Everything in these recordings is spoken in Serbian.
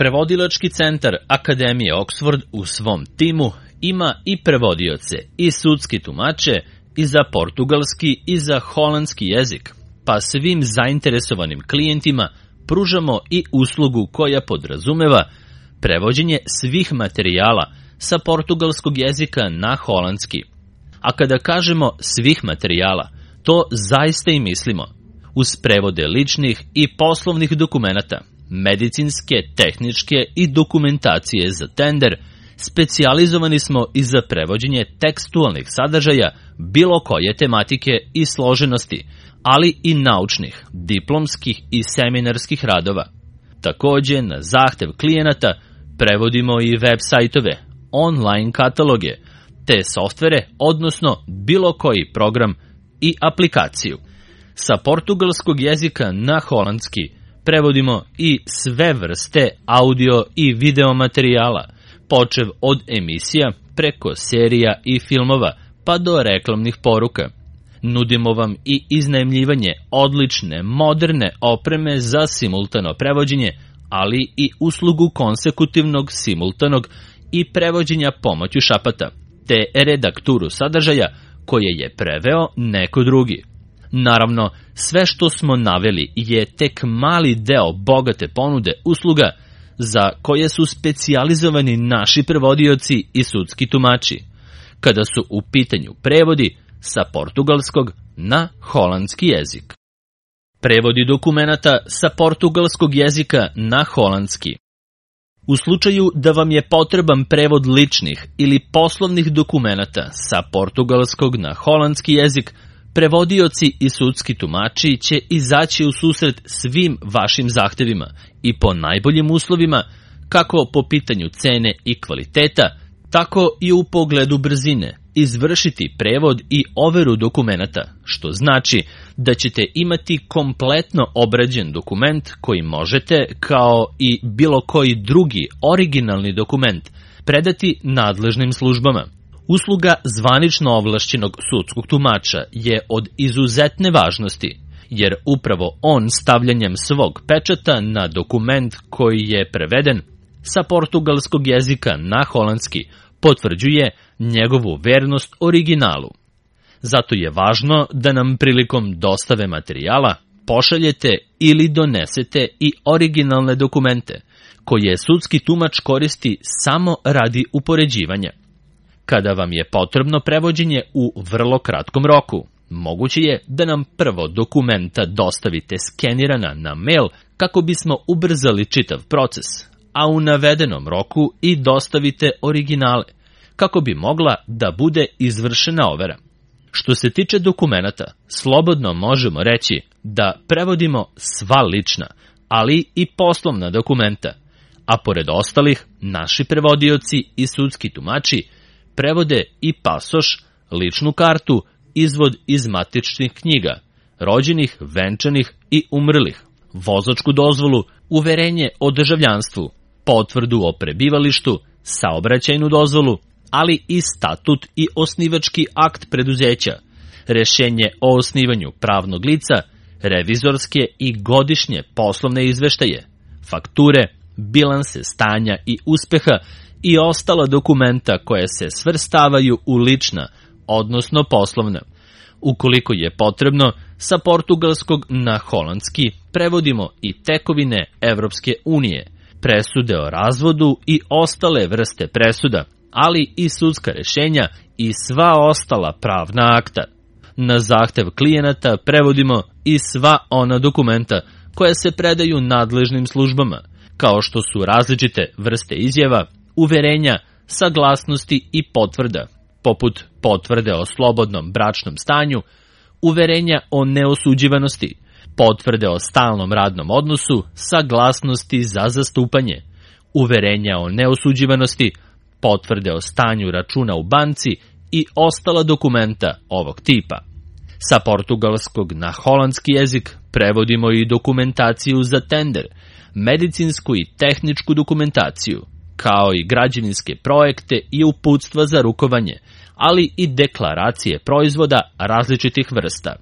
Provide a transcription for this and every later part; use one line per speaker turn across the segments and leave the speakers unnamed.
Prevodilački centar Akademije Oxford u svom timu ima i prevodioce i sudski tumače i za portugalski i za holandski jezik, pa svim zainteresovanim klijentima pružamo i uslugu koja podrazumeva prevođenje svih materijala sa portugalskog jezika na holandski. A kada kažemo svih materijala, to zaista i mislimo. Uz prevode ličnih i poslovnih dokumenata, medicinske, tehničke i dokumentacije za tender, specijalizovani smo i za prevođenje tekstualnih sadržaja bilo koje tematike i složenosti, ali i naučnih, diplomskih i seminarskih radova. Takođe, na zahtev klijenata prevodimo i web sajtove, online kataloge, te softvere, odnosno bilo koji program i aplikaciju. Sa portugalskog jezika na holandski prevodimo i sve vrste audio i video materijala, počev od emisija preko serija i filmova pa do reklamnih poruka. Nudimo vam i iznajmljivanje odlične, moderne opreme za simultano prevođenje, ali i uslugu konsekutivnog, simultanog i prevođenja pomoću šapata, te redakturu sadržaja koje je preveo neko drugi. Naravno, sve što smo naveli je tek mali deo bogate ponude usluga za koje su specijalizovani naši prevodioci i sudski tumači, kada su u pitanju prevodi sa portugalskog na holandski jezik. Prevodi dokumenata sa portugalskog jezika na holandski. U slučaju da vam je potreban prevod ličnih ili poslovnih dokumenata sa portugalskog na holandski jezik, prevodioci i sudski tumači će izaći u susret svim vašim zahtevima i po najboljim uslovima, kako po pitanju cene i kvaliteta, tako i u pogledu brzine, izvršiti prevod i overu dokumenata, što znači da ćete imati kompletno obrađen dokument koji možete, kao i bilo koji drugi originalni dokument, predati nadležnim službama. Usluga zvanično ovlašćenog sudskog tumača je od izuzetne važnosti, jer upravo on stavljanjem svog pečata na dokument koji je preveden sa portugalskog jezika na holandski potvrđuje njegovu vernost originalu. Zato je važno da nam prilikom dostave materijala pošaljete ili donesete i originalne dokumente, koje sudski tumač koristi samo radi upoređivanja. Kada vam je potrebno prevođenje u vrlo kratkom roku, moguće je da nam prvo dokumenta dostavite skenirana na mail kako bismo ubrzali čitav proces, a u navedenom roku i dostavite originale, kako bi mogla da bude izvršena overa. Što se tiče dokumenata, slobodno možemo reći da prevodimo sva lična, ali i poslovna dokumenta, a pored ostalih, naši prevodioci i sudski tumači prevode i pasoš, ličnu kartu, izvod iz matičnih knjiga, rođenih, venčanih i umrlih, vozačku dozvolu, uverenje o državljanstvu, potvrdu o prebivalištu, saobraćajnu dozvolu, ali i statut i osnivački akt preduzeća, rešenje o osnivanju pravnog lica, revizorske i godišnje poslovne izveštaje, fakture, bilanse stanja i uspeha i ostala dokumenta koja se svrstavaju u lična, odnosno poslovna. Ukoliko je potrebno, sa portugalskog na holandski prevodimo i tekovine Evropske unije, presude o razvodu i ostale vrste presuda, ali i sudska rešenja i sva ostala pravna akta. Na zahtev klijenata prevodimo i sva ona dokumenta koja se predaju nadležnim službama, kao što su različite vrste izjava, uverenja, saglasnosti i potvrda, poput potvrde o slobodnom bračnom stanju, uverenja o neosuđivanosti, potvrde o stalnom radnom odnosu, saglasnosti za zastupanje, uverenja o neosuđivanosti, potvrde o stanju računa u banci i ostala dokumenta ovog tipa. Sa portugalskog na holandski jezik prevodimo i dokumentaciju za tender, medicinsku i tehničku dokumentaciju, kao i građevinske projekte i uputstva za rukovanje, ali i deklaracije proizvoda različitih vrsta.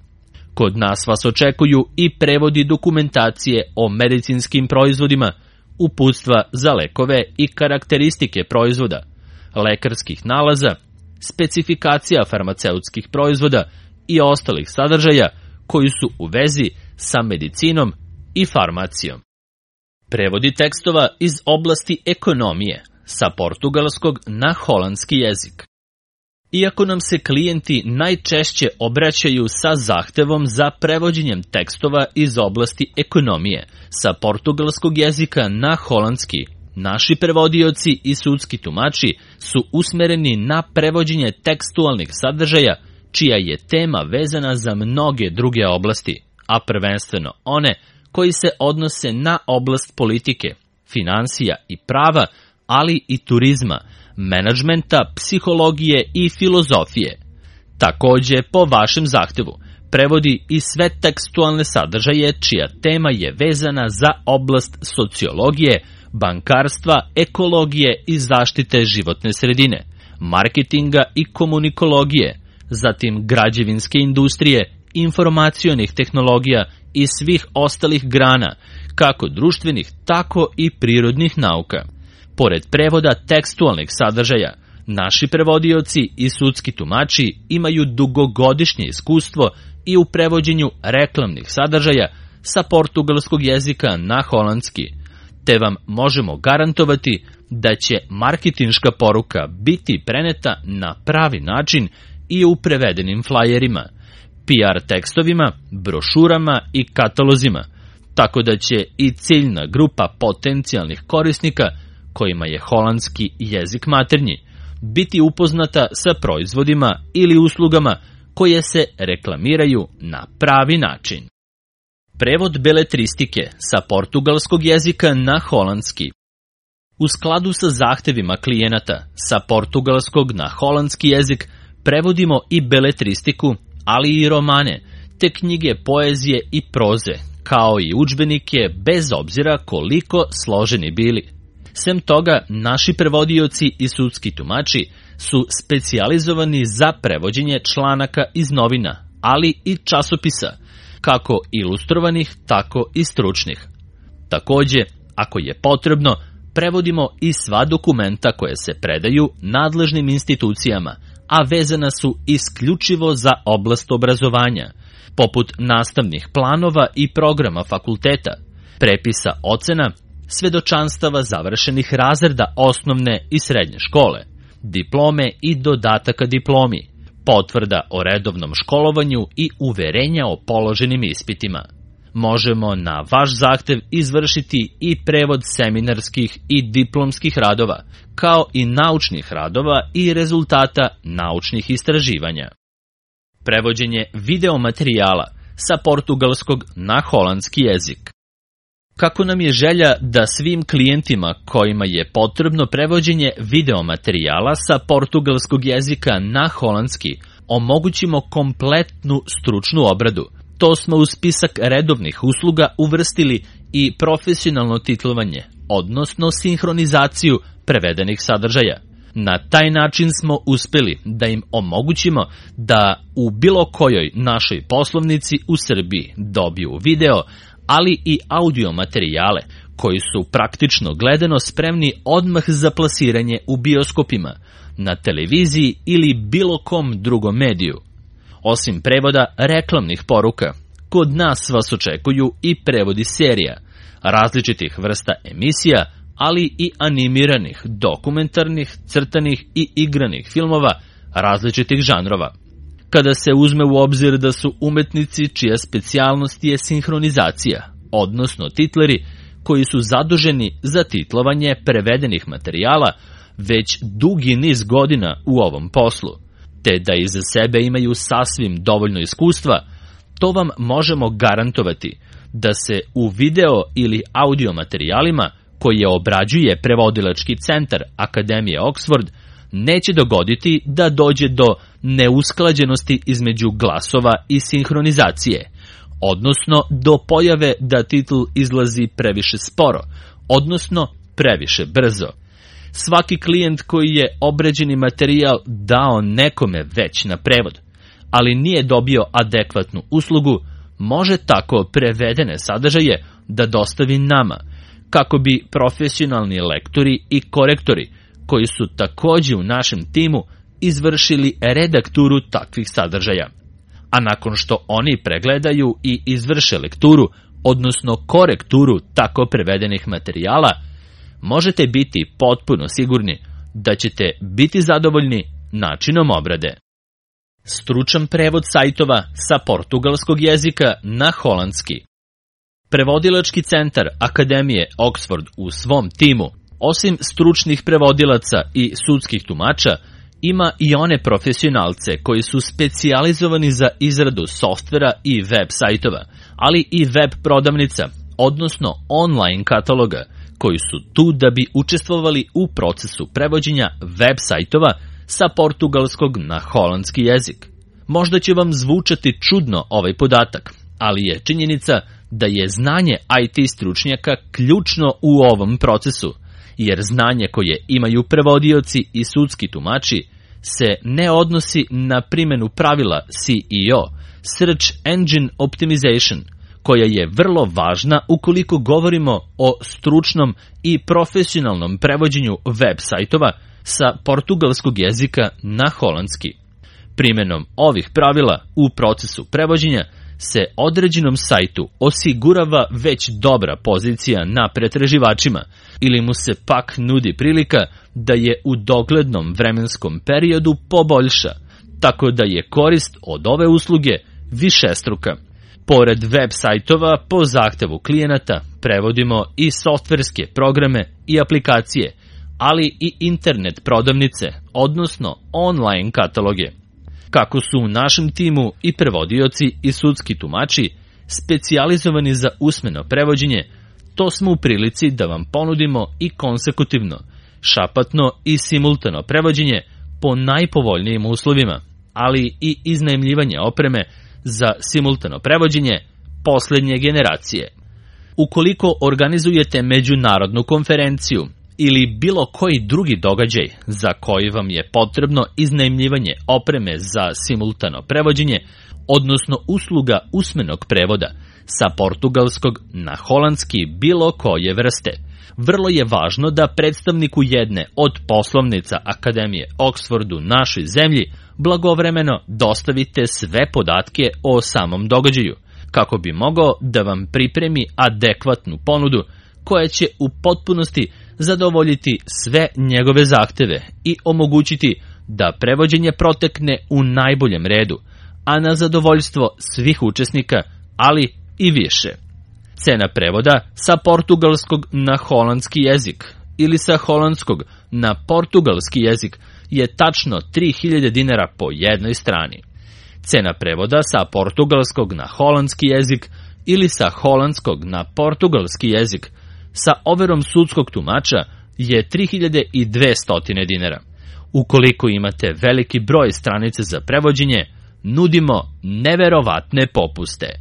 Kod nas vas očekuju i prevodi dokumentacije o medicinskim proizvodima, uputstva za lekove i karakteristike proizvoda, lekarskih nalaza, specifikacija farmaceutskih proizvoda i ostalih sadržaja koji su u vezi sa medicinom i farmacijom. Prevodi tekstova iz oblasti ekonomije sa portugalskog na holandski jezik. Iako nam se klijenti najčešće obraćaju sa zahtevom za prevođenjem tekstova iz oblasti ekonomije sa portugalskog jezika na holandski, naši prevodioci i sudski tumači su usmereni na prevođenje tekstualnih sadržaja čija je tema vezana za mnoge druge oblasti, a prvenstveno one koji se odnose na oblast politike, finansija i prava, ali i turizma, menadžmenta, psihologije i filozofije. Takođe, po vašem zahtevu, prevodi i sve tekstualne sadržaje čija tema je vezana za oblast sociologije, bankarstva, ekologije i zaštite životne sredine, marketinga i komunikologije, zatim građevinske industrije, informacionih tehnologija i svih ostalih grana, kako društvenih, tako i prirodnih nauka. Pored prevoda tekstualnih sadržaja, naši prevodioci i sudski tumači imaju dugogodišnje iskustvo i u prevođenju reklamnih sadržaja sa portugalskog jezika na holandski, te vam možemo garantovati da će marketinška poruka biti preneta na pravi način i u prevedenim flajerima, PR tekstovima, brošurama i katalozima, tako da će i ciljna grupa potencijalnih korisnika kojima je holandski jezik maternji, biti upoznata sa proizvodima ili uslugama koje se reklamiraju na pravi način. Prevod beletristike sa portugalskog jezika na holandski. U skladu sa zahtevima klijenata sa portugalskog na holandski jezik prevodimo i beletristiku, ali i romane, te knjige poezije i proze, kao i udžbenike bez obzira koliko složeni bili. Sem toga, naši prevodioci i sudski tumači su specijalizovani za prevođenje članaka iz novina, ali i časopisa, kako ilustrovanih, tako i stručnih. Takođe, ako je potrebno, prevodimo i sva dokumenta koje se predaju nadležnim institucijama, a vezana su isključivo za oblast obrazovanja, poput nastavnih planova i programa fakulteta, prepisa ocena, svedočanstava završenih razreda osnovne i srednje škole, diplome i dodataka diplomi, potvrda o redovnom školovanju i uverenja o položenim ispitima. Možemo na vaš zahtev izvršiti i prevod seminarskih i diplomskih radova, kao i naučnih radova i rezultata naučnih istraživanja. Prevođenje videomaterijala sa portugalskog na holandski jezik. Kako nam je želja da svim klijentima kojima je potrebno prevođenje videomaterijala sa portugalskog jezika na holandski omogućimo kompletnu stručnu obradu, to smo u spisak redovnih usluga uvrstili i profesionalno titlovanje, odnosno sinhronizaciju prevedenih sadržaja. Na taj način smo uspeli da im omogućimo da u bilo kojoj našoj poslovnici u Srbiji dobiju video, ali i audio materijale koji su praktično gledano spremni odmah za plasiranje u bioskopima, na televiziji ili bilo kom drugom mediju. Osim prevoda reklamnih poruka, kod nas vas očekuju i prevodi serija, različitih vrsta emisija, ali i animiranih, dokumentarnih, crtanih i igranih filmova različitih žanrova. Kada se uzme u obzir da su umetnici čija specijalnost je sinhronizacija, odnosno titleri koji su zaduženi za titlovanje prevedenih materijala već dugi niz godina u ovom poslu, te da iza sebe imaju sasvim dovoljno iskustva, to vam možemo garantovati da se u video ili audio materijalima koje obrađuje prevodilački centar Akademije Oxford neće dogoditi da dođe do neusklađenosti između glasova i sinhronizacije, odnosno do pojave da titl izlazi previše sporo, odnosno previše brzo. Svaki klijent koji je obrađeni materijal dao nekome već na prevod, ali nije dobio adekvatnu uslugu, može tako prevedene sadržaje da dostavi nama, kako bi profesionalni lektori i korektori, koji su takođe u našem timu, izvršili redakturu takvih sadržaja. A nakon što oni pregledaju i izvrše lekturu, odnosno korekturu tako prevedenih materijala, možete biti potpuno sigurni da ćete biti zadovoljni načinom obrade. Stručan prevod sajtova sa portugalskog jezika na holandski. Prevodilački centar Akademije Oxford u svom timu, osim stručnih prevodilaca i sudskih tumača, ima i one profesionalce koji su specijalizovani za izradu softvera i web sajtova, ali i web prodavnica, odnosno online kataloga, koji su tu da bi učestvovali u procesu prevođenja web sajtova sa portugalskog na holandski jezik. Možda će vam zvučati čudno ovaj podatak, ali je činjenica da je znanje IT stručnjaka ključno u ovom procesu, jer znanje koje imaju prevodioci i sudski tumači se ne odnosi na primjenu pravila SEO, Search Engine Optimization, koja je vrlo važna ukoliko govorimo o stručnom i profesionalnom prevođenju web sajtova sa portugalskog jezika na holandski. Primjenom ovih pravila u procesu prevođenja se određenom sajtu osigurava već dobra pozicija na pretraživačima ili mu se pak nudi prilika da je u doglednom vremenskom periodu poboljša, tako da je korist od ove usluge višestruka. Pored web sajtova po zahtevu klijenata prevodimo i softverske programe i aplikacije, ali i internet prodavnice, odnosno online kataloge. Kako su u našem timu i prevodioci i sudski tumači specijalizovani za usmeno prevođenje, to smo u prilici da vam ponudimo i konsekutivno, šapatno i simultano prevođenje po najpovoljnijim uslovima, ali i iznajmljivanje opreme za simultano prevođenje poslednje generacije. Ukoliko organizujete međunarodnu konferenciju ili bilo koji drugi događaj za koji vam je potrebno iznajmljivanje opreme za simultano prevođenje, odnosno usluga usmenog prevoda sa portugalskog na holandski bilo koje vrste, vrlo je važno da predstavniku jedne od poslovnica Akademije Oxford u našoj zemlji blagovremeno dostavite sve podatke o samom događaju, kako bi mogao da vam pripremi adekvatnu ponudu koja će u potpunosti zadovoljiti sve njegove zahteve i omogućiti da prevođenje protekne u najboljem redu, a na zadovoljstvo svih učesnika, ali i više. Cena prevoda sa portugalskog na holandski jezik ili sa holandskog na portugalski jezik je tačno 3000 dinara po jednoj strani. Cena prevoda sa portugalskog na holandski jezik ili sa holandskog na portugalski jezik sa overom sudskog tumača je 3200 dinara. Ukoliko imate veliki broj stranica za prevođenje, nudimo neverovatne popuste.